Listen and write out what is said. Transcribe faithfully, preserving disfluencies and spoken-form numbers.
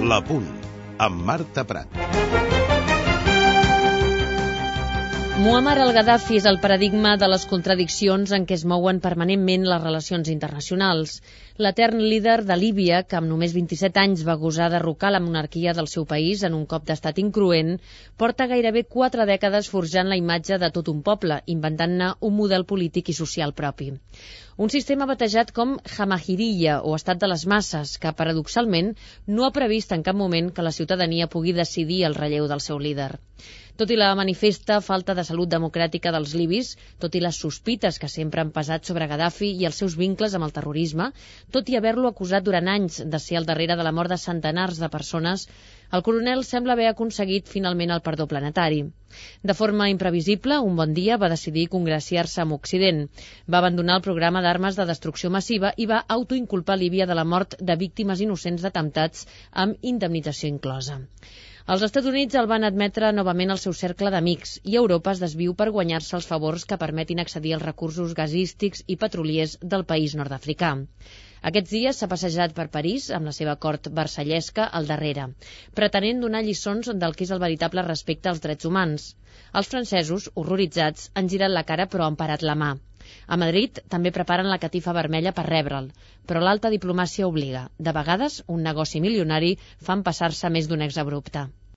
La Punt, amb Marta Prat. Muammar al-Gaddafi és el paradigma de les contradiccions en què es mouen permanentment les relacions internacionals. L'etern líder de Líbia, que amb només vint-i-set anys va gosar derrocar la monarquia del seu país en un cop d'estat incruent, porta gairebé quatre dècades forjant la imatge de tot un poble, inventant-ne un model polític i social propi. Un sistema batejat com Jamahiriya, o estat de les masses, que paradoxalment no ha previst en cap moment que la ciutadania pugui decidir el relleu del seu líder. Tot i la manifesta falta de salut democràtica dels libis, tot i les sospites que sempre han pesat sobre Gaddafi i els seus vincles amb el terrorisme, tot i haver-lo acusat durant anys de ser al darrere de la mort de centenars de persones, el coronel sembla haver aconseguit finalment el perdó planetari. De forma imprevisible, un bon dia va decidir congraciar-se amb Occident. Va abandonar el programa d'armes de destrucció massiva i va autoinculpar Líbia de la mort de víctimes innocents d'atemptats amb indemnització inclosa. Els Estats Units el van admetre novament al seu cercle d'amics i Europa es desviu per guanyar-se els favors que permetin accedir als recursos gasístics i petroliers del país nord-africà. Aquests dies s'ha passejat per París amb la seva cort versallesca al darrere, pretenent donar lliçons del que és el veritable respecte als drets humans. Els francesos, horroritzats, han girat la cara però han parat la mà. A Madrid també preparen la catifa vermella per rebre'l, però l'alta diplomàcia obliga. De vegades, un negoci milionari fa empassar-se més d'un exabrupte.